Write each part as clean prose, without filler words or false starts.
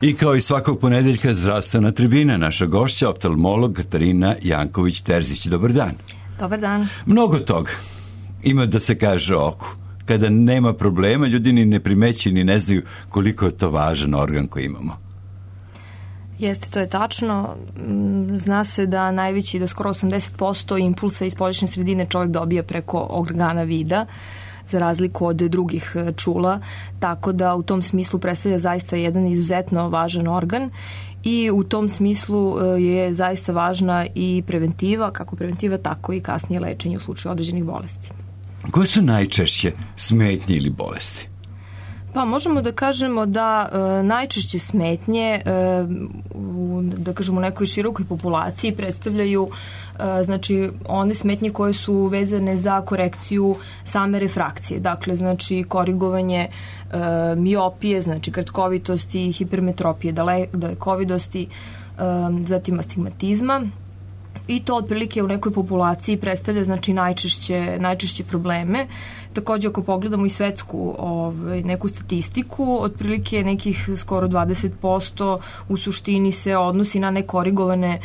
I kao i svakog ponedeljka zdravstvena tribina, naša gošća, oftalmolog Katarina Janković-Terzić. Dobar dan. Dobar dan. Mnogo toga ima da se kaže o oku. Kada nema problema, ljudi ni ne primećuju ni ne znaju koliko je to važan organ koji imamo. Jeste, to je tačno. Zna se da najveći, da skoro 80% impulsa iz spoljašnje sredine čovjek dobija preko organa vida, za razliku od drugih čula, tako da u tom smislu predstavlja zaista jedan izuzetno važan organ i u tom smislu je zaista važna i preventiva, kako preventiva, tako i kasnije lečenje u slučaju određenih bolesti. Koje su najčešće smetnje ili bolesti? Pa možemo da kažemo da najčešće smetnje da kažemo u nekoj širokoj populaciji predstavljaju znači one smetnje koje su vezane za korekciju same refrakcije, dakle znači korigovanje miopije, znači kratkovitosti, hipermetropije, dalekovidosti, zatim astigmatizma. I to otprilike u nekoj populaciji predstavlja znači najčešće probleme. Takođe ako pogledamo i svetsku neku statistiku, otprilike nekih skoro 20% u suštini se odnosi na nekorigovane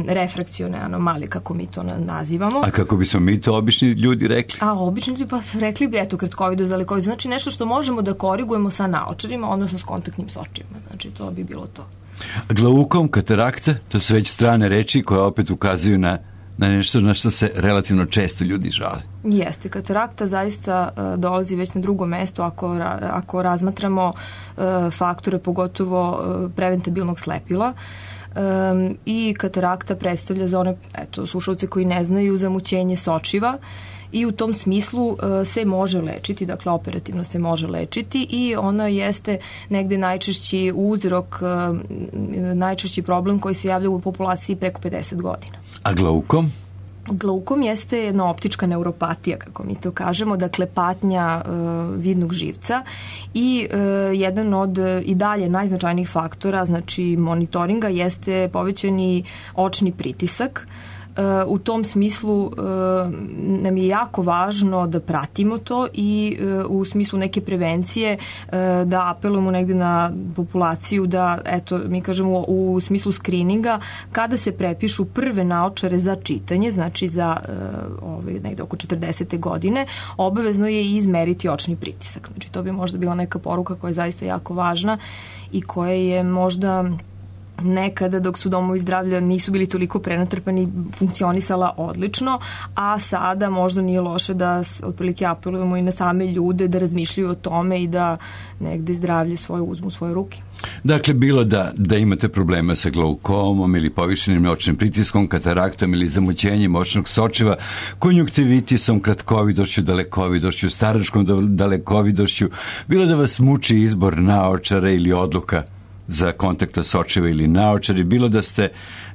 refrakcione anomalije, kako mi to nazivamo. A kako bismo mi to obični ljudi rekli? A obični ljudi pa rekli bi kratkovidost, dalekovidost, znači nešto što možemo da korigujemo sa naočarima, odnosno s kontaktnim sočivima. Znači to bi bilo to. Glaukom, katarakta, to su već strane reči koje opet ukazuju na nešto na što se relativno često ljudi žale. Jeste, katarakta zaista dolazi već na drugo mesto ako razmatramo faktore, pogotovo preventabilnog slepila. I katarakta predstavlja za one slušalce koji ne znaju zamućenje sočiva i u tom smislu se može lečiti, dakle operativno se može lečiti i ona jeste negde najčešći uzrok, najčešći problem koji se javlja u populaciji preko 50 godina. A glaukom? Glaukom jeste jedna optička neuropatija, kako mi to kažemo, dakle patnja vidnog živca i jedan od i dalje najznačajnijih faktora, znači monitoringa, jeste povećani očni pritisak. U tom smislu nam je jako važno da pratimo to i u smislu neke prevencije da apelujemo negde na populaciju da, mi kažemo u smislu skrininga, kada se prepišu prve naočare za čitanje, znači za negde oko 40. godine, obavezno je izmeriti očni pritisak. Znači to bi možda bila neka poruka koja je zaista jako važna i koja je možda nekada dok su domovi zdravlja nisu bili toliko prenatrpani, funkcionisala odlično, a sada možda nije loše da otprilike apelujemo i na same ljude da razmišljaju o tome i da negde zdravlje svoje uzmu u svoje ruke. Dakle, bilo da imate problema sa glaukomom ili povišenim očnim pritiskom, kataraktom ili zamućenjem očnog sočiva, konjuktivitisom, kratkovidošću, dalekovidošću, staračkom dalekovidošću, bilo da vas muči izbor naočara ili odluka za kontakta sočiva ili naočari, bilo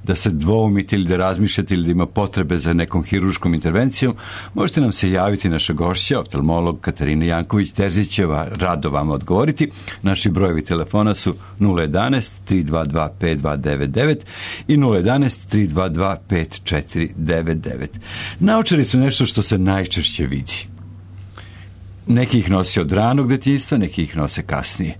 da se dvoumite ili da razmišljate ili da ima potrebe za nekom hiruškom intervencijom, možete nam se javiti, naša gošća, oftalmolog Katarina Janković-Terzić, rado vam odgovoriti. Naši brojevi telefona su 011 322 5299 i 011 322 5499. Naočari su nešto što se najčešće vidi. Neki ih nosi od ranog detinjstva, neki ih nose kasnije.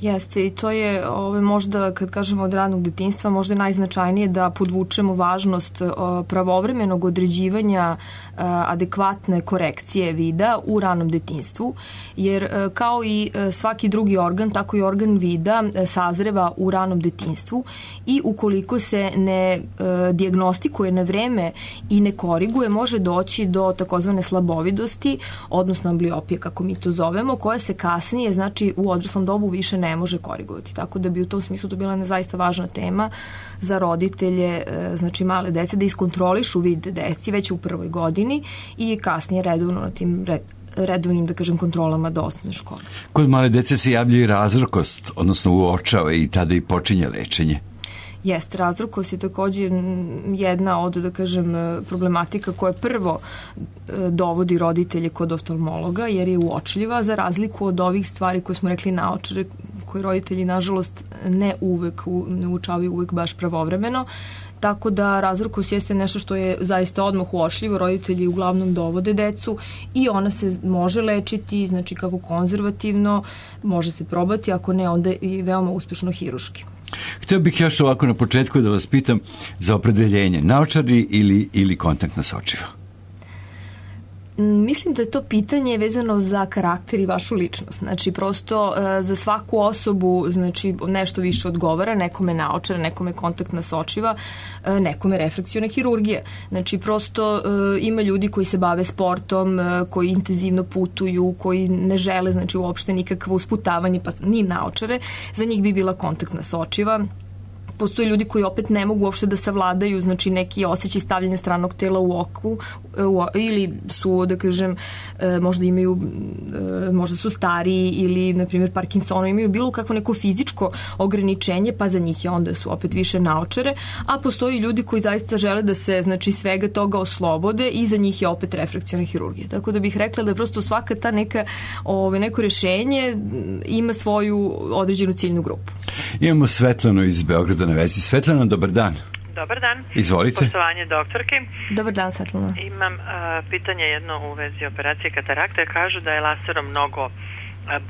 Jeste, i to je možda, kad kažemo od ranog detinjstva, možda najznačajnije da podvučemo važnost pravovremenog određivanja adekvatne korekcije vida u ranom detinjstvu, jer kao i svaki drugi organ, tako i organ vida sazreva u ranom detinjstvu i ukoliko se ne dijagnostikuje na vreme i ne koriguje, može doći do takozvane slabovidosti, odnosno ambliopije, kako mi to zovemo, koja se kasnije, znači u odraslom dobu više ne može korigovati. Tako da bi u tom smislu to bila jedna zaista važna tema za roditelje, znači male dece, da iskontrolišu vid deci već u prvoj godini i kasnije redovno na tim redovnim, da kažem, kontrolama do osnovne škole. Kod male dece se javlja i razrkost, odnosno uočava i tada i počinje lečenje. Jeste, razrukost je također jedna od, da kažem, problematika koja prvo dovodi roditelje kod oftalmologa, jer je uočljiva, za razliku od ovih stvari koje smo rekli naočare, koje roditelji, nažalost, ne uočavaju uvek baš pravovremeno. Tako da razrukost jeste nešto što je zaista odmah uočljivo, roditelji uglavnom dovode decu i ona se može lečiti, znači kako konzervativno, može se probati, ako ne, onda i veoma uspešno hiruški. Htio bih još ovako na početku da vas pitam za opredeljenje, naočari ili kontaktna sočiva? Mislim da je to pitanje vezano za karakter i vašu ličnost. Znači, prosto za svaku osobu, znači, nešto više odgovara, nekome naočara, nekome kontaktna sočiva, nekome refrakciona hirurgija. Znači, prosto ima ljudi koji se bave sportom, koji intenzivno putuju, koji ne žele, znači, uopšte nikakvo usputavanje, pa ni naočare. Za njih bi bila kontaktna sočiva. Postoje ljudi koji opet ne mogu uopšte da savladaju, znači, neki osjećaj stavljanja stranog tela u oku ili su, da kažem, možda su stariji ili, na primjer, Parkinsonovi, imaju bilo kakvo neko fizičko ograničenje, pa za njih je onda su opet više naočare, a postoji ljudi koji zaista žele da se, znači, svega toga oslobode i za njih je opet refrakciona hirurgija. Tako da bih rekla da prosto svaka ta neko rešenje ima svoju određenu ciljnu grupu. Imamo Svetlanu iz Beograda na vezi. Svetlana, dobar dan. Dobar dan. Izvolite. Poštovanje doktorke. Dobar dan, Svetlana. Imam pitanje jedno u vezi operacije katarakte. Kažu da je laserom mnogo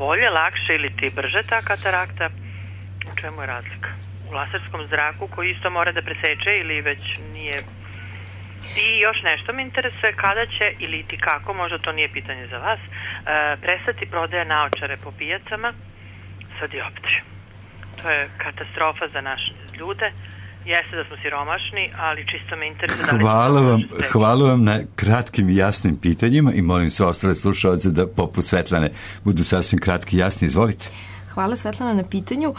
bolje, lakše ili ti brže ta katarakta. U čemu je razlika? U laserskom zraku koji isto mora da preseče ili već nije... I još nešto me interesuje, kada će ili ti kako, možda to nije pitanje za vas, prestati prodaja naočare po pijacama sa dioptrijom. To je katastrofa za naše ljude. Jeste da smo siromašni, ali čisto me interesuje... Hvala vam na kratkim i jasnim pitanjima i molim sve ostale slušalce da poput Svetlane budu sasvim kratki i jasni. Izvolite. Hvala, Svetlana, na pitanju.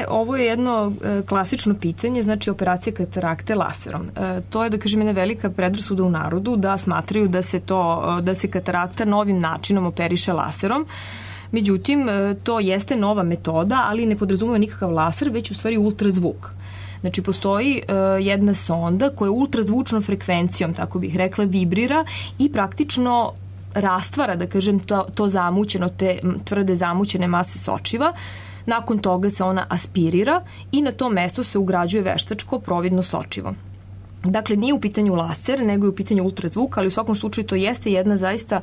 Ovo je jedno klasično pitanje, znači operacija katarakte laserom. To je, da kažem, jedna velika predrasuda u narodu da smatraju da se katarakta novim načinom operiše laserom. Međutim, to jeste nova metoda, ali ne podrazumeva nikakav laser, već u stvari ultrazvuk. Znači, postoji jedna sonda koja ultrazvučnom frekvencijom, tako bih rekla, vibrira i praktično rastvara, da kažem, to zamućeno, te tvrde zamućene mase sočiva. Nakon toga se ona aspirira i na to mesto se ugrađuje veštačko providno sočivo. Dakle, nije u pitanju laser, nego je u pitanju ultrazvuk, ali u svakom slučaju to jeste jedna zaista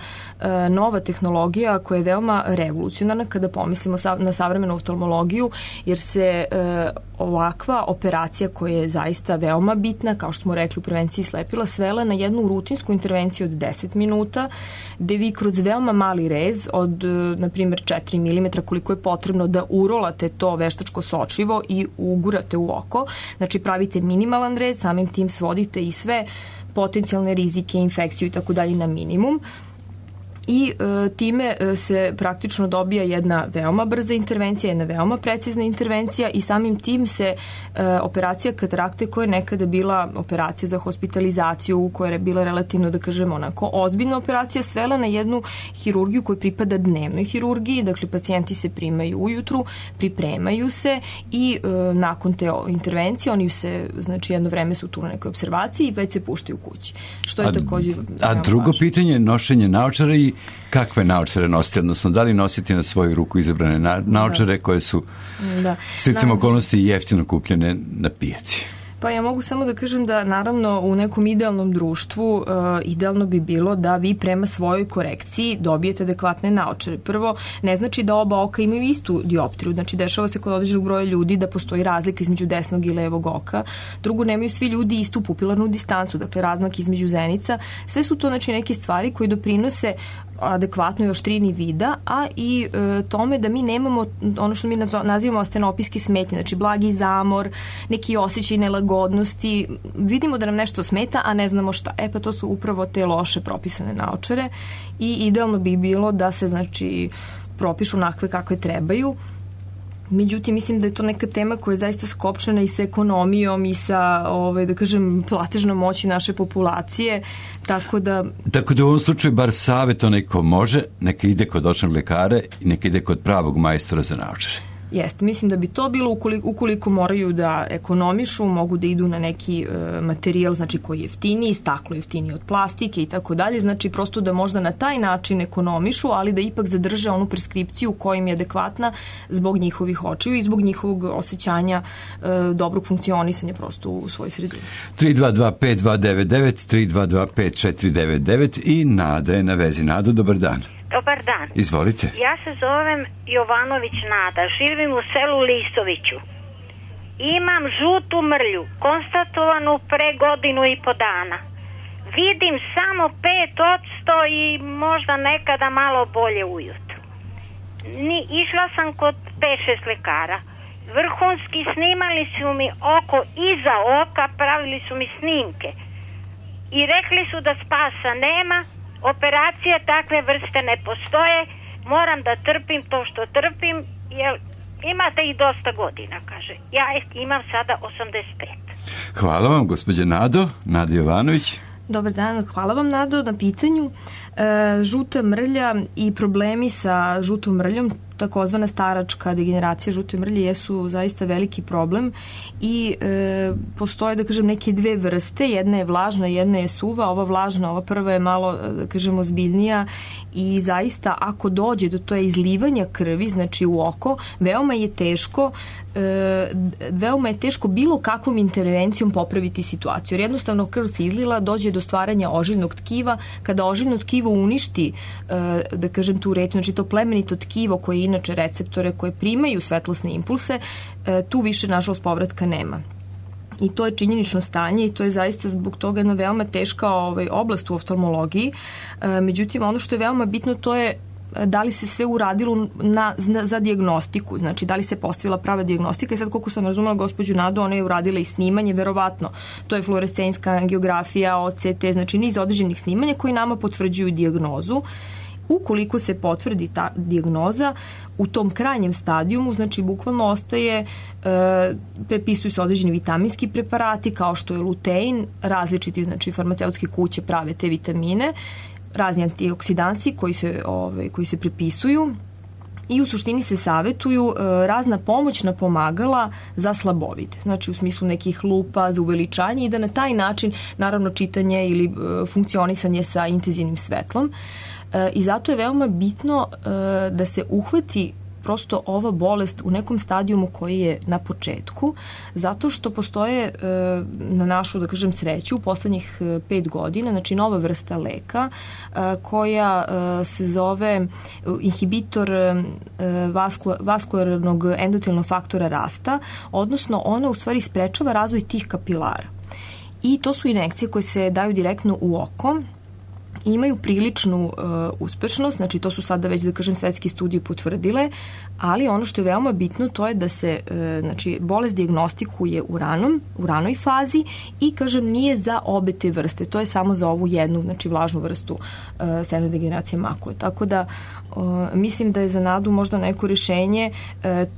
nova tehnologija koja je veoma revolucionarna kada pomislimo na savremenu oftalmologiju, jer se ovakva operacija koja je zaista veoma bitna, kao što smo rekli u prevenciji slepila, svela na jednu rutinsku intervenciju od 10 minuta, gde vi kroz veoma mali rez od, na primjer, 4 mm, koliko je potrebno da urolate to veštačko sočivo i ugurate u oko, znači pravite minimalan rez, samim tim svodite i sve potencijalne rizike, infekciju i tako dalje na minimum. I time se praktično dobija jedna veoma brza intervencija, jedna veoma precizna intervencija i samim tim se operacija katarakte, koja je nekada bila operacija za hospitalizaciju, koja je bila relativno, da kažemo, onako ozbiljna operacija, svela na jednu hirurgiju koja pripada dnevnoj hirurgiji. Dakle, pacijenti se primaju ujutru, pripremaju se i nakon te intervencije oni se, znači, jedno vreme su tu na nekoj observaciji i već se puštaju kući. Što je također a drugo važno pitanje, nošenje naočara i kakve naočare nosite, odnosno da li nosite na svoju ruku izabrane naočare koje su sticam okolnosti jeftino kupljene na pijaci? Pa ja mogu samo da kažem da naravno u nekom idealnom društvu idealno bi bilo da vi prema svojoj korekciji dobijete adekvatne naočare. Prvo, ne znači da oba oka imaju istu dioptriju, znači dešava se kod određenog broja ljudi da postoji razlika između desnog i levog oka. Drugo, nemaju svi ljudi istu pupilarnu distancu, dakle razmak između zenica. Sve su to, znači, neke stvari koje doprinose adekvatnoj oštrini vida, a i tome da mi nemamo ono što mi nazivamo astenopijski smetnje, znači blagi zamor, neki osjećaj nelagodnosti, vidimo da nam nešto smeta, a ne znamo šta. Pa to su upravo te loše propisane naočare i idealno bi bilo da se, znači, propišu onakve kakve trebaju. Međutim, mislim da je to neka tema koja je zaista skopčana i sa ekonomijom i sa, da kažem, platežnom moći naše populacije, tako da u ovom slučaju bar savjet onaj ko može, neka ide kod očnog lekara i neka ide kod pravog majstora za naočare. Jeste, mislim da bi to bilo ukoliko moraju da ekonomišu, mogu da idu na neki materijal, znači koji je jeftiniji, staklo jeftiniji od plastike i tako dalje, znači prosto da možda na taj način ekonomišu, ali da ipak zadrže onu preskripciju koja im je adekvatna zbog njihovih očiju i zbog njihovog osjećanja dobrog funkcionisanja prosto u svojoj sredini. 322-5299, 322-5499 i Nada je na vezi. Nado, dobar dan. Dobar dan. Izvolite. Ja se zovem Jovanović Nada, živim u selu Lisoviću. Imam žutu mrlju, konstatovanu pre 1.5 godina. Vidim samo 5% i možda nekada malo bolje ujutru. Išla sam kod 5-6 lekara. Vrhunski snimali su mi oko iza oka, pravili su mi snimke. I rekli su da spasa nema, operacije takve vrste ne postoje, moram da trpim to što trpim, jer imate i dosta godina, kaže. Ja imam sada 85. Hvala vam, gospođe Nado. Nada Jovanović. Dobar dan, hvala vam Nado na pitanju. Žuta mrlja i problemi sa žutom mrljom, takozvana staračka degeneracija žute mrlje, jesu zaista veliki problem i postoje, da kažem, neke dve vrste. Jedna je vlažna, jedna je suva. Ova vlažna, ova prva je malo, da kažem, ozbiljnija i zaista ako dođe do to izlivanja krvi, znači u oko, veoma je teško bilo kakvom intervencijom popraviti situaciju. Jer jednostavno krv se izlila, dođe do stvaranja ožiljnog tkiva. Kada ožiljno tkivo uništi, da kažem, tu reč, znači to plemenito tkivo koje inače receptore koje primaju svetlosne impulse, tu više nažalost povratka nema. I to je činjenično stanje i to je zaista zbog toga jedna veoma teška oblast u oftalmologiji. Međutim, ono što je veoma bitno to je da li se sve uradilo za dijagnostiku, znači da li se postavila prava dijagnostika i sad koliko sam razumela gospođu Nadu, ona je uradila i snimanje, verovatno, to je fluorescenska angiografija, OCT, znači niz određenih snimanja koji nama potvrđuju dijagnozu. Ukoliko se potvrdi ta dijagnoza, u tom krajnjem stadijumu, znači bukvalno ostaje, prepisuju se određeni vitaminski preparati kao što je lutein, različiti, znači farmaceutske kuće prave te vitamine, razni antioksidansi koji se prepisuju i u suštini se savetuju razna pomoćna pomagala za slabovid, znači u smislu nekih lupa za uveličanje i da na taj način, naravno čitanje ili funkcionisanje sa intenzivnim svetlom. I zato je veoma bitno da se uhvati prosto ova bolest u nekom stadijumu koji je na početku, zato što postoje na našu, da kažem, sreću u poslednjih 5 godina, znači nova vrsta leka koja se zove inhibitor vaskularnog endotelnog faktora rasta, odnosno ona u stvari sprečava razvoj tih kapilara. I to su injekcije koje se daju direktno u oko, imaju priličnu uspešnost, znači to su sada već, da kažem, svetske studije potvrdile, ali ono što je veoma bitno to je da se znači, bolest dijagnostikuje u ranoj fazi i, kažem, nije za obe te vrste, to je samo za ovu jednu, znači vlažnu vrstu senilne degeneracije makule. Tako da mislim da je za Nadu možda neko rešenje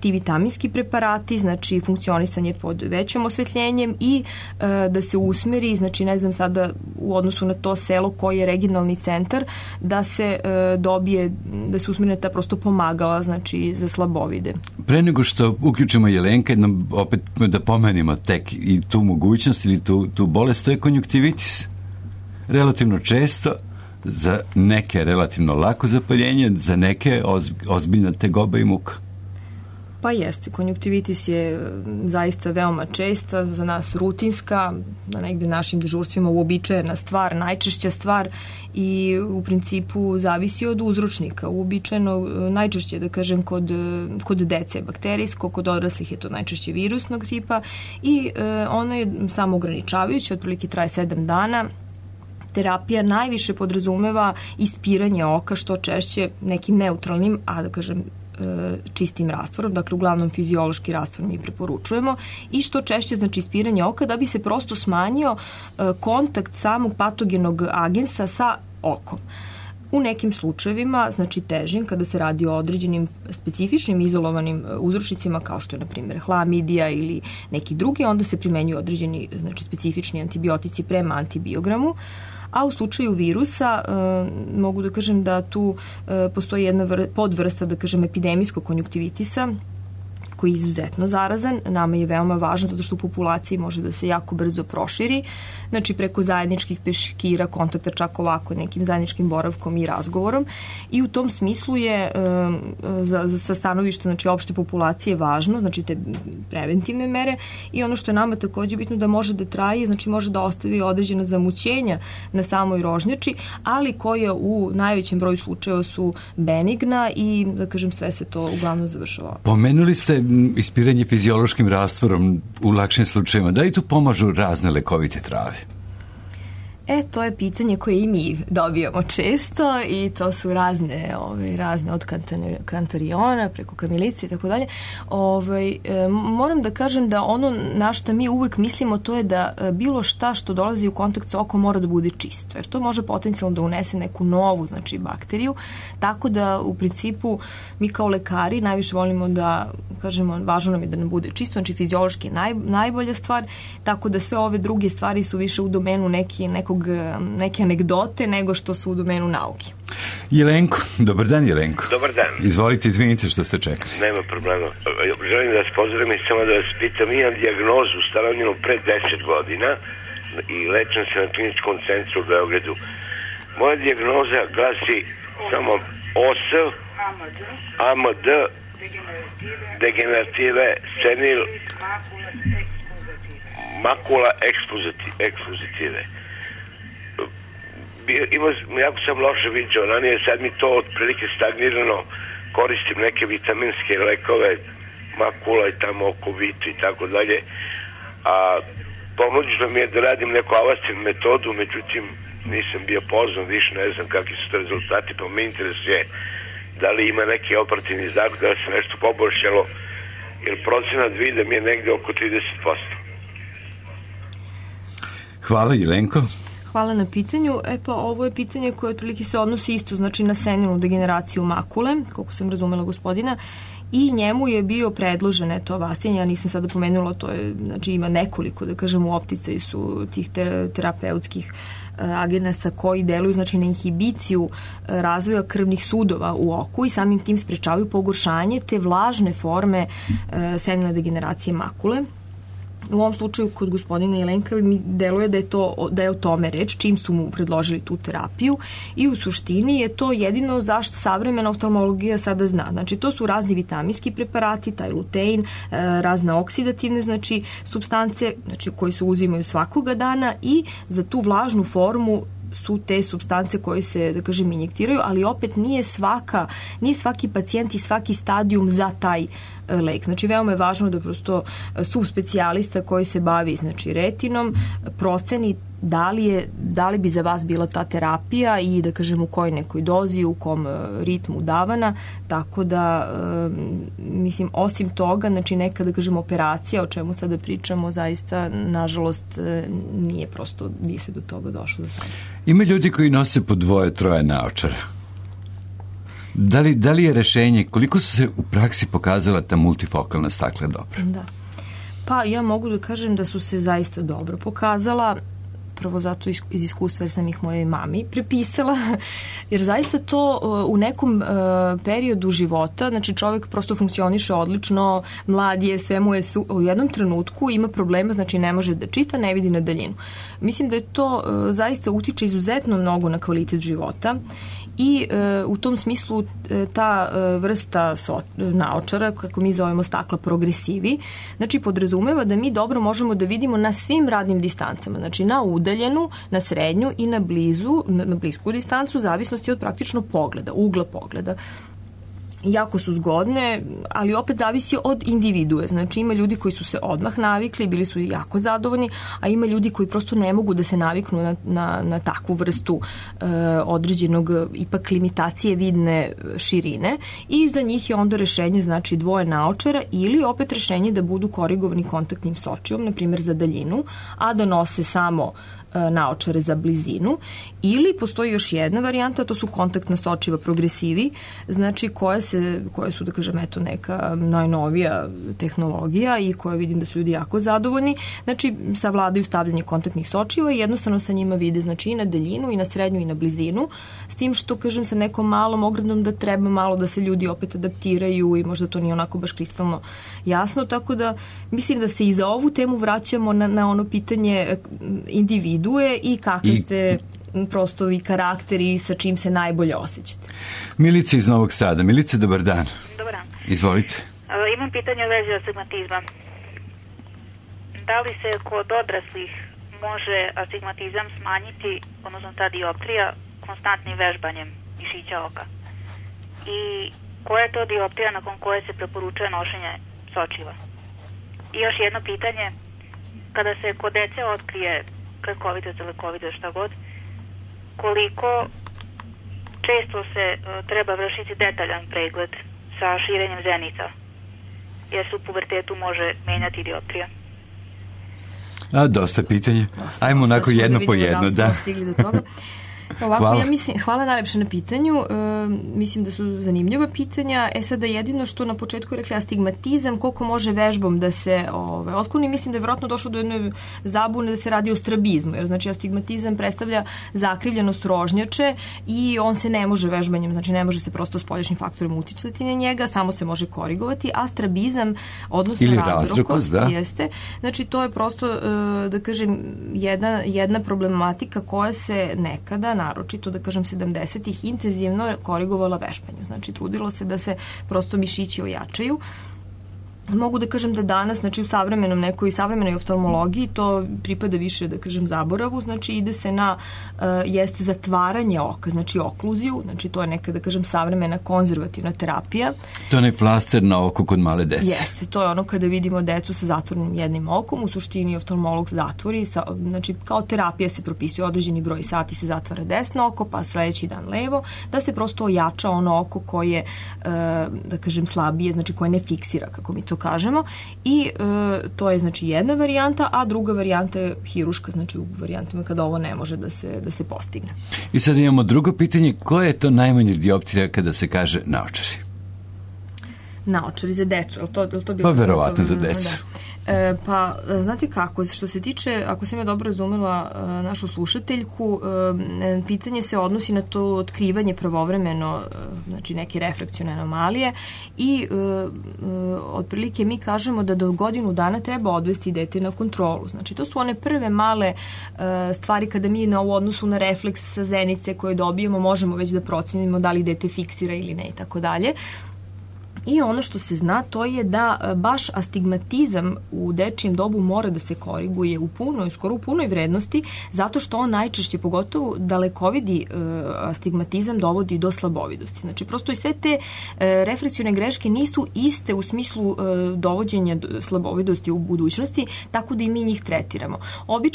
ti vitaminski preparati, znači funkcionisanje pod većim osvetljenjem i da se usmeri, znači ne znam sada u odnosu na to selo koji je regionalni centar, da se dobije, da se usmeri ta prosto pomagala, znači za slabovide. Pre nego što uključimo Jelenka, opet da pomenimo tek i tu mogućnost ili tu bolest, to je konjuktivitis. Relativno često, za neke relativno lako zapaljenje, za neke ozbiljna tegoba i muka. Pa jeste, konjuktivitis je zaista veoma česta, za nas rutinska, na negde našim dežurstvima uobičajena stvar, najčešća stvar i u principu zavisi od uzročnika. Uobičajeno najčešće, da kažem, kod dece je bakterijsko, kod odraslih je to najčešće virusnog tipa i ono je samo ograničavajuće, otprilike traje 7 dana. Terapija najviše podrazumeva ispiranje oka, što češće nekim neutralnim, a da kažem čistim rastvorom, dakle uglavnom fiziološki rastvor mi preporučujemo i što češće, znači ispiranje oka da bi se prosto smanjio kontakt samog patogenog agensa sa okom. U nekim slučajevima, znači težim, kada se radi o određenim specifičnim izolovanim uzročnicima kao što je, na primjer, hlamidija ili neki drugi, onda se primenjuju određeni, znači, specifični antibiotici prema antibiogramu. A u slučaju virusa mogu da kažem da tu postoji jedna podvrsta, da kažem, epidemijskog konjuktivitisa koji je izuzetno zarazan. Nama je veoma važan zato što u populaciji može da se jako brzo proširi, znači preko zajedničkih peškira, kontakta, čak ovako nekim zajedničkim boravkom i razgovorom. I u tom smislu je sa stanovišta znači opšte populacije važno, znači te preventivne mere, i ono što je nama takođe bitno da može da traje, znači može da ostavi određena zamućenja na samoj rožnjači, ali koje u najvećem broju slučajeva su benigna i, da kažem, sve se to uglavnom završava. Pomenuli ste ispiranje fiziološkim rastvorom u lakšim slučajevima. Da li tu pomažu razne lekovite trave? To je pitanje koje i mi dobijamo često i to su razne od kantariona preko kamilice i tako dalje. Moram da kažem da ono na što mi uvek mislimo to je da bilo šta što dolazi u kontakt sa okom mora da bude čisto, jer to može potencijalno da unese neku novu, znači, bakteriju, tako da u principu mi kao lekari najviše volimo da kažemo važno nam je da nam bude čisto, znači fiziološki je najbolja stvar, tako da sve ove druge stvari su više u domenu neke anegdote nego što su u domenu nauke. Jelenko, dobar dan Jelenko. Dobar dan. Izvolite, izvinite što ste čekali. Nema problema. Želim da vas pozdravim i samo da vas pitam, imam dijagnozu ustanovljenu pre 10 godina i lečem se na kliničkom centru u Beogradu. Moja dijagnoza glasi samo OS, AMD, degenerative, senil, makula ekspozitive. Jako sam loše viđao ranije, sad mi to otprilike stagnirano, koristim neke vitaminske lekove, makula i tamo oko vitu i tako dalje, a ponuđeno mi je da radim neku Avastin metodu, međutim nisam bio pozvan, više ne znam kakvi su to rezultati, pa me interesuje da li ima neki operativni zakon, da li se nešto poboljšalo, jer procenat vide mi je negde oko 30%. Hvala Jelenko. Hvala na pitanju. Ovo je pitanje koje otprilike se odnosi isto, znači na senilnu degeneraciju makule, koliko sam razumela gospodina, i njemu je bio predložen Avastin, ja nisam sada pomenula, to je, znači ima nekoliko, da kažem, u opticaju su tih terapeutskih agenasa koji deluju, znači, na inhibiciju razvoja krvnih sudova u oku i samim tim sprečavaju pogoršanje te vlažne forme senilne degeneracije makule. U ovom slučaju kod gospodina Jelenka mi deluje da je o tome reč, čim su mu predložili tu terapiju, i u suštini je to jedino zašto savremena oftalmologija sada zna. Znači, to su razni vitaminski preparati, taj lutein, razne oksidativne, znači, supstance, znači, koji se uzimaju svakoga dana, i za tu vlažnu formu su te supstance koje se, da kažem, injektiraju, ali opet nije svaki pacijent i svaki stadijum za taj lek. Znači, veoma je važno da prosto subspecijalista koji se bavi, znači, retinom, proceni da li bi za vas bila ta terapija i, da kažem, u kojoj nekoj dozi, u kom ritmu davana, tako da, mislim, osim toga, znači, neka, da kažem, operacija, o čemu sada pričamo, zaista, nažalost, nije se do toga došlo za sada. Ima ljudi koji nose po 2-3 naočara. Da li je rešenje, koliko su se u praksi pokazala ta multifokalna stakla dobra? Da. Pa ja mogu da kažem da su se zaista dobro pokazala, prvo zato iz iskustva jer sam ih mojoj mami prepisala, jer zaista to u nekom periodu života, znači čovjek prosto funkcioniše odlično, mlad je, sve mu je u jednom trenutku ima problema, znači ne može da čita, ne vidi na daljinu. Mislim da je to zaista utiče izuzetno mnogo na kvalitet života i u tom smislu ta vrsta naočara, kako mi zovemo stakla progresivi, znači podrazumeva da mi dobro možemo da vidimo na svim radnim distancama, znači na udaljenu, na srednju i na blisku distancu, zavisnosti od praktično pogleda, ugla pogleda. Jako su zgodne, ali opet zavisi od individue. Znači ima ljudi koji su se odmah navikli, bili su jako zadovoljni, a ima ljudi koji prosto ne mogu da se naviknu na takvu vrstu određenog ipak limitacije vidne širine i za njih je onda rešenje znači dvoje naočara ili opet rešenje da budu korigovani kontaktnim sočijom, na primjer za daljinu, a da nose samo naočare za blizinu, ili postoji još jedna varijanta, to su kontaktna sočiva progresivi, znači koje su, da kažem, eto, neka najnovija tehnologija i koje vidim da su ljudi jako zadovoljni. Znači, savladaju stavljanje kontaktnih sočiva i jednostavno sa njima vide, znači, i na daljinu, i na srednju, i na blizinu, s tim što, kažem, sa nekom malom ogradom da treba malo da se ljudi opet adaptiraju i možda to nije onako baš kristalno jasno, tako da mislim da se i za ovu temu vraćamo na ono pitanje individue i kakve ste prosto i karakteri sa čim se najbolje osjećate. Milica iz Novog Sada. Milica, dobar dan. Dobar dan. Izvolite. Imam pitanje u vezi astigmatizma. Da li se kod odraslih može astigmatizam smanjiti, odnosno ta dioptrija, konstantnim vežbanjem mišića oka? I koja je to dioptrija nakon koje se preporučuje nošenje sočiva? I još jedno pitanje, kada se kod dece otkrije kratkovidost, dalekovidost, šta god, koliko često se treba vršiti detaljan pregled sa širenjem zenica, jer se u pubertetu može menjati dioptrija? Dosta pitanje. Ajmo onako jedno po jedno. Da. Stigli do toga. Ovako, hvala. Ja mislim, hvala najlepše na pitanju. Mislim da su zanimljiva pitanja. Sada jedino što na početku rekla astigmatizam, koliko može vežbom da se otkloni, mislim da je vjerojatno došlo do jedne zabune da se radi o strabizmu, jer znači astigmatizam predstavlja zakrivljenost rožnjače i on se ne može vežbanjem, znači ne može se prosto spoljašnjim faktorima uticati na njega, samo se može korigovati, a strabizam, odnosno razrokost, jeste. Znači to je prosto, da kažem, jedna problematika koja se nekada, naročito, da kažem, 70-ih intenzivno korigovala vežbanju. Znači, trudilo se da se prosto mišići ojačaju. Mogu da kažem da danas, znači u savremenoj oftalmologiji to pripada više, da kažem, zaboravu, znači ide se na jeste zatvaranje oka, znači okluziju, znači to je neka, da kažem, savremena konzervativna terapija. To je onaj flaster na oko kod male dece. Jeste, to je ono kada vidimo decu sa zatvorenim jednim okom, u suštini oftalmolog zatvori, znači kao terapija se propisuje određeni broj sati, se zatvara desno oko, pa sledeći dan levo, da se prosto ojača ono oko koje, da kažem, slabije, znači koje ne fiksira, kako mi to kažemo, i to je, znači, jedna varijanta, a druga varijanta je hiruška, znači u varijantama kada ovo ne može da se postigne. I sad imamo drugo pitanje, koja je to najmanje dioptrija kada se kaže naočari? Naočari za decu, je li to bilo? Pa verovatno za decu. Da. Pa, znate kako, što se tiče, ako sam ja dobro razumela našu slušateljku, pitanje se odnosi na to otkrivanje pravovremeno, znači neke refrakcione anomalije, i otprilike mi kažemo da do godinu dana treba odvesti dete na kontrolu. Znači, to su one prve male stvari kada mi u odnosu na refleks sa zenice koje dobijemo možemo već da procenimo da li dete fiksira ili ne i tako dalje. I ono što se zna, to je da baš astigmatizam u dečijem dobu mora da se koriguje skoro u punoj vrednosti, zato što on najčešće, pogotovo dalekovidi astigmatizam, dovodi do slabovidosti. Znači, prosto i sve te refrakcione greške nisu iste u smislu dovođenja slabovidosti u budućnosti, tako da i mi njih tretiramo.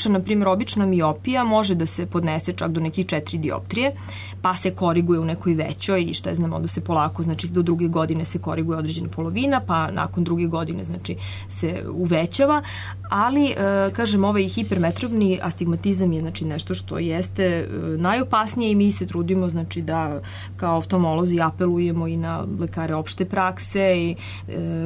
Na primjer, obična miopija može da se podnese čak do nekih 4 dioptrije, pa se koriguje u nekoj većoj i šta znamo da se polako, znači do druge godine se koriguje određena polovina, pa nakon druge godine, znači, se uvećava, ali, kažem, ovaj hipermetropni astigmatizam je, znači, nešto što jeste najopasnije i mi se trudimo, znači, da kao oftalmolozi apelujemo i na lekare opšte prakse i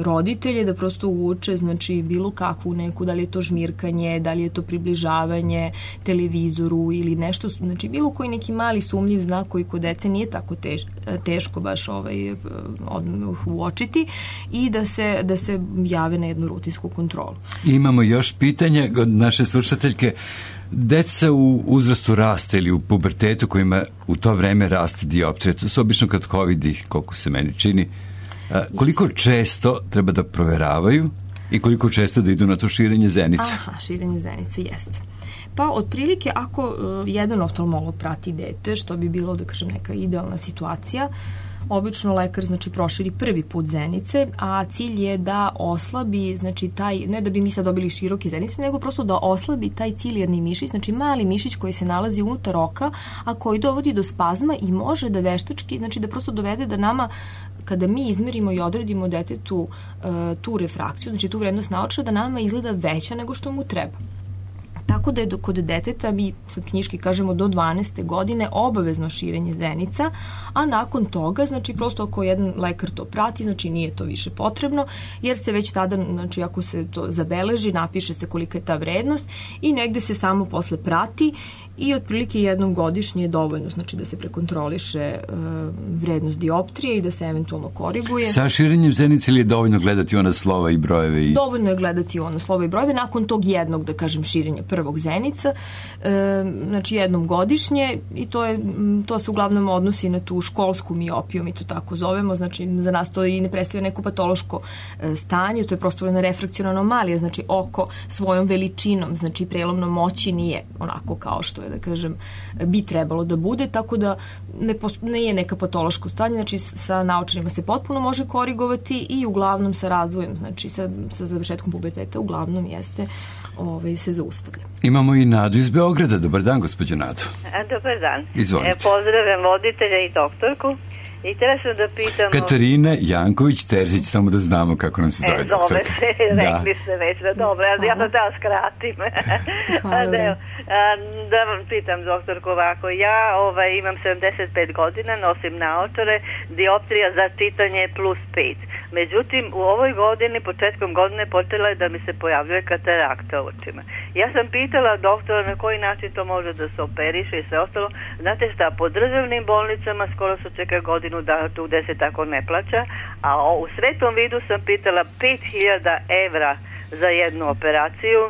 roditelje da prosto uče, znači, bilo kakvu neku, da li je to žmirkanje, da li je to približavanje televizoru ili nešto, znači, bilo koji neki mali sumnjiv znak koji kod dece nije tako teško baš uočiti i da se jave na jednu rutinsku kontrolu. Imamo još pitanje od naše slušateljke. Deca u uzrastu rasta ili u pubertetu kojima u to vreme raste dioptrija, to su obično kratkovidi, koliko se meni čini. Koliko često treba da proveravaju i koliko često da idu na to širenje zenice? Širenje zenice, jeste. Pa, otprilike, ako jedan oftalmolog prati dete, što bi bilo, da kažem, neka idealna situacija, obično lekar, znači, proširi prvi put zenice, a cilj je da oslabi, znači, ne da bi mi sad dobili široke zenice, nego prosto da oslabi taj cilijarni mišić, znači mali mišić koji se nalazi unutar oka, a koji dovodi do spazma i može da veštački, znači da prosto dovede da nama, kada mi izmerimo i odredimo detetu tu refrakciju, znači tu vrednost naočara, da nama izgleda veća nego što mu treba. tako da je kod deteta, mi sad knjiški kažemo do 12. godine, obavezno širenje zenica, a nakon toga, znači prosto ako jedan lekar to prati, znači nije to više potrebno, jer se već tada, znači ako se to zabeleži, napiše se kolika je ta vrednost i negde se samo posle prati i otprilike jednom godišnje je dovoljno, znači da se prekontroliše vrednost dioptrije i da se eventualno koriguje. Sa širenjem zenice ili je dovoljno gledati ona slova i brojeve? Dovoljno je gledati ona slova i brojeve nakon tog jednog, da kažem, širenja prvog zenica, znači jednom godišnje, i to se uglavnom odnosi na tu školsku miopiju, mi to tako zovemo, znači za nas to i ne predstavlja neko patološko stanje, to je prosto jedna refrakciona anomalija, znači oko svojom veličinom, znači prelomnom moći nije onako kao što je, da kažem, bi trebalo da bude, tako da ne je neka patološko stanje, znači sa naočarima se potpuno može korigovati i uglavnom sa razvojem, znači sa završetkom puberteta uglavnom jeste se zaustavlja. Imamo i Nadu iz Beograda. Dobar dan, gospođo Nadu. Dobar dan. Izvolite. Pozdravljam voditelja i doktorku. I treba sam da pitam... Katarina Janković-Terzić, samo da znamo kako nam se zove doktorka. Zove se, rekli ste već, dobro, ja sam da skratim. Da vam pitam, doktorku, ovako, ja imam 75 godina, nosim naočare, dioptrija za čitanje plus 5. Međutim, u ovoj godini, početkom godine, počela je da mi se pojavljuje katarakta u očima. Ja sam pitala doktora na koji način to može da se operiše i sve ostalo. Znate šta, po državnim bolnicama skoro se čeka godinu da tu gde se tako ne plaća, a u Svetom vidu sam pitala 5.000 evra za jednu operaciju,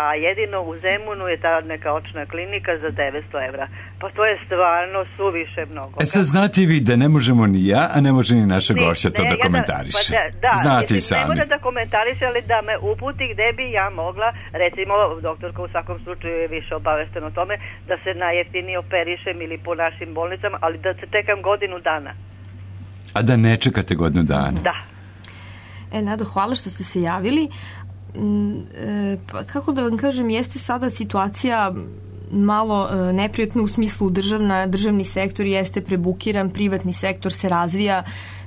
a jedino u Zemunu je ta neka očna klinika za 900 evra. Pa to je stvarno suviše mnogo. Sad znate vi da ne možemo ni ja, a ne može ni naša gošća to da komentariše. Znate i sami. Ne može da komentariše, ali da me uputi gde bi ja mogla, recimo, doktorka u svakom slučaju je više obaveštena o tome, da se najjeftinije operišem ili po našim bolnicama, ali da se čekam godinu dana. A da ne čekate godinu dana? Da. Nado, hvala što ste se javili. Pa, kako da vam kažem, jeste sada situacija malo neprijatna u smislu državni sektor jeste prebukiran, privatni sektor se razvija,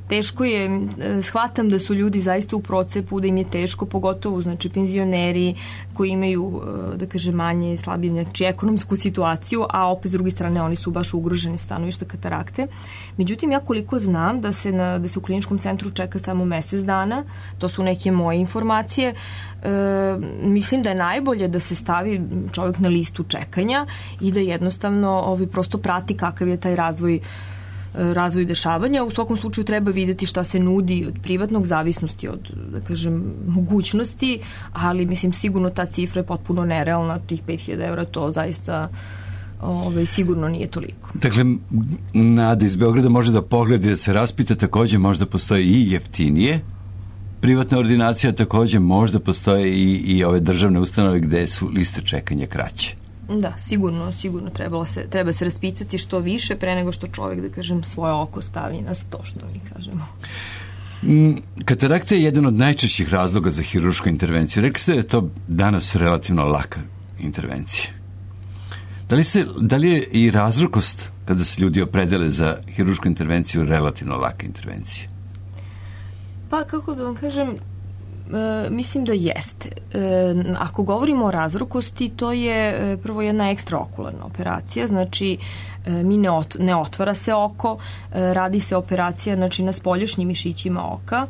teško je, shvatam da su ljudi zaista u procepu, da im je teško, pogotovo znači penzioneri koji imaju, da kažem, manje slabije, znači ekonomsku situaciju, a opet s druge strane oni su baš ugroženi stanovišta katarakte. Međutim, ja koliko znam da se u kliničkom centru čeka samo mesec dana, to su neke moje informacije, mislim da je najbolje da se stavi čovjek na listu čekanja i da jednostavno prosto prati kakav je taj razvoj dešavanja. U svakom slučaju treba videti šta se nudi od privatnog, zavisnosti od, da kažem, mogućnosti, ali mislim sigurno ta cifra je potpuno nerealna, tih 5.000 evra, to zaista sigurno nije toliko. Dakle, Nada iz Beograda može da pogleda i da se raspita, takođe možda postoje i jeftinije privatna ordinacija, takođe možda postoje i ove državne ustanove gde su liste čekanja kraće. Da, sigurno treba se raspitati što više pre nego što čovjek, da kažem, svoje oko stavi na to, što mi kažemo. Katarakta je jedan od najčešćih razloga za hirušku intervenciju. Rekli ste da je to danas relativno laka intervencija. Da li je i razrukost kada se ljudi opredele za hirušku intervenciju relativno laka intervencija? Pa, kako da vam kažem, mislim da jeste. Ako govorimo o razrukosti, to je prvo jedna ekstraokularna operacija, znači ne otvara se oko, radi se operacija znači na spoljašnjim mišićima oka.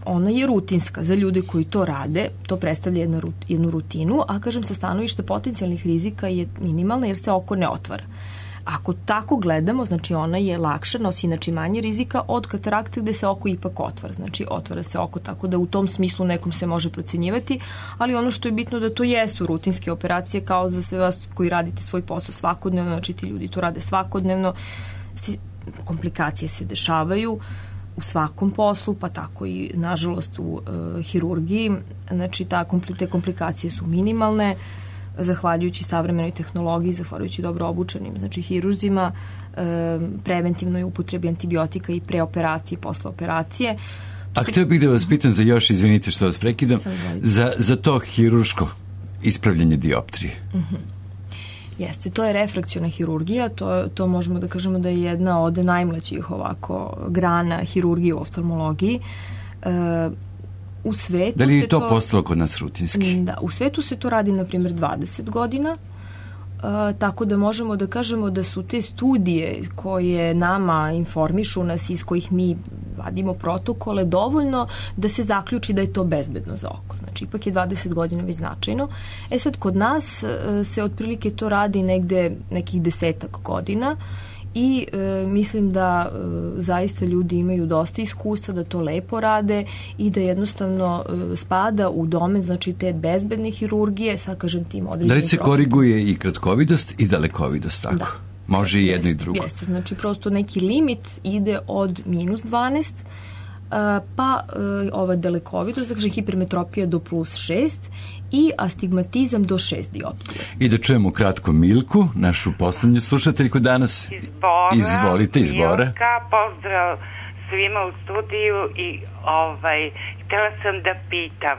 Ona je rutinska za ljude koji to rade, to predstavlja jednu rutinu, a kažem sa stanovišta potencijalnih rizika je minimalna jer se oko ne otvara. Ako tako gledamo, znači ona je lakša, nosi znači manje rizika od katarakte gde se oko ipak otvara. Znači otvara se oko, tako da u tom smislu nekom se može procenjivati, ali ono što je bitno da to jesu rutinske operacije kao za sve vas koji radite svoj posao svakodnevno, znači ti ljudi to rade svakodnevno, komplikacije se dešavaju u svakom poslu, pa tako i nažalost u hirurgiji, znači te komplikacije su minimalne, zahvaljujući savremenoj tehnologiji, zahvaljujući dobro obučenim, znači hirurzima, preventivnoj upotrebi antibiotika i pre operacije i posle operacije. A htio bih da vas pitam za još, izvinite što vas prekidam, za to hirurško ispravljanje dioptrije. Jeste, to je refrakciona hirurgija, to možemo da kažemo da je jedna od najmlađih ovako grana hirurgije u oftalmologiji. U svetu da li je to postalo kod nas rutinski? Da, u svetu se to radi, na primjer, 20 godina, tako da možemo da kažemo da su te studije koje nama informišu nas, iz kojih mi vadimo protokole, dovoljno da se zaključi da je to bezbedno za oko. Znači, ipak je 20 godina već značajno. Sad, kod nas se otprilike to radi negde nekih 10 godina i mislim da zaista ljudi imaju dosta iskustva, da to lepo rade i da jednostavno spada u domen, znači, te bezbedne hirurgije, sad kažem tim određenim. Da li se koriguje i kratkovidost i dalekovidost, tako? Da. Može i jedno i drugo. Jeste, znači prosto neki limit ide od minus 12, pa ova dalekovidost, znači hipermetropija do plus 6 i astigmatizam do 6 dioptrija. I da čujemo kratko Milku, našu poslednju slušateljku danas. Izvolite, iz Bora. Milka, pozdrav svima u studiju i htjela sam da pitam,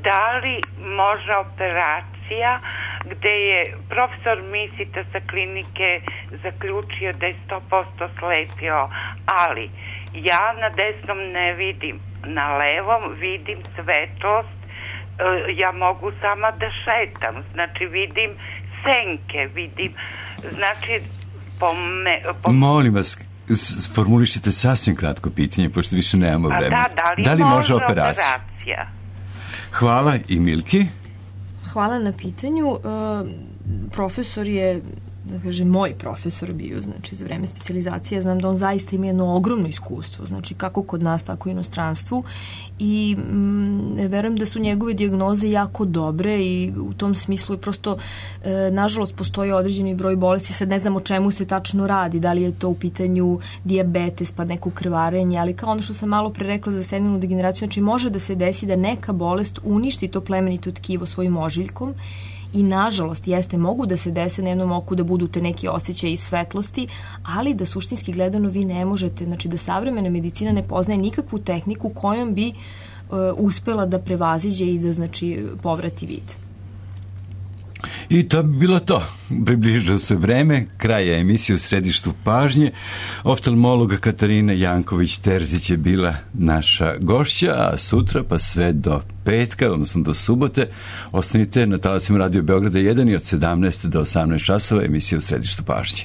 da li može operacija gde je profesor Misita sa klinike zaključio da je 100% slepio, ali ja na desnom ne vidim, na levom vidim svetlost, ja mogu sama da šetam, znači vidim senke, vidim, znači Molim vas, formulišite sasvim kratko pitanje, pošto više nemamo vremena. Da li može operacija? Hvala i Milki. Hvala na pitanju. Profesor je, da kažem, moj profesor bio, znači, za vreme specijalizacije. Znam da on zaista ima jedno ogromno iskustvo, znači, kako kod nas, tako i u inostranstvu. I verujem da su njegove dijagnoze jako dobre i u tom smislu je prosto, nažalost, postoji određeni broj bolesti. Sad ne znam o čemu se tačno radi, da li je to u pitanju dijabetes, pa neko krvarenje, ali kao ono što sam malo pre rekla za senilnu degeneraciju, znači, može da se desi da neka bolest uništi to plemenito tkivo svojim ožiljkom. I nažalost, mogu da se dese na jednom oku da budu te neki osjećaji svetlosti, ali da suštinski gledano vi ne možete, znači da savremena medicina ne poznaje nikakvu tehniku kojom bi uspela da prevaziđe i da, znači, povrati vid. I to bi bilo to. Približilo se vreme kraja emisije u središtu pažnje. Oftalmologa Katarina Janković-Terzić je bila naša gošća, a sutra pa sve do petka, odnosno do subote, ostanite na talasima Radio Beograda 1 i od 17 do 18 časova emisije u središtu pažnje.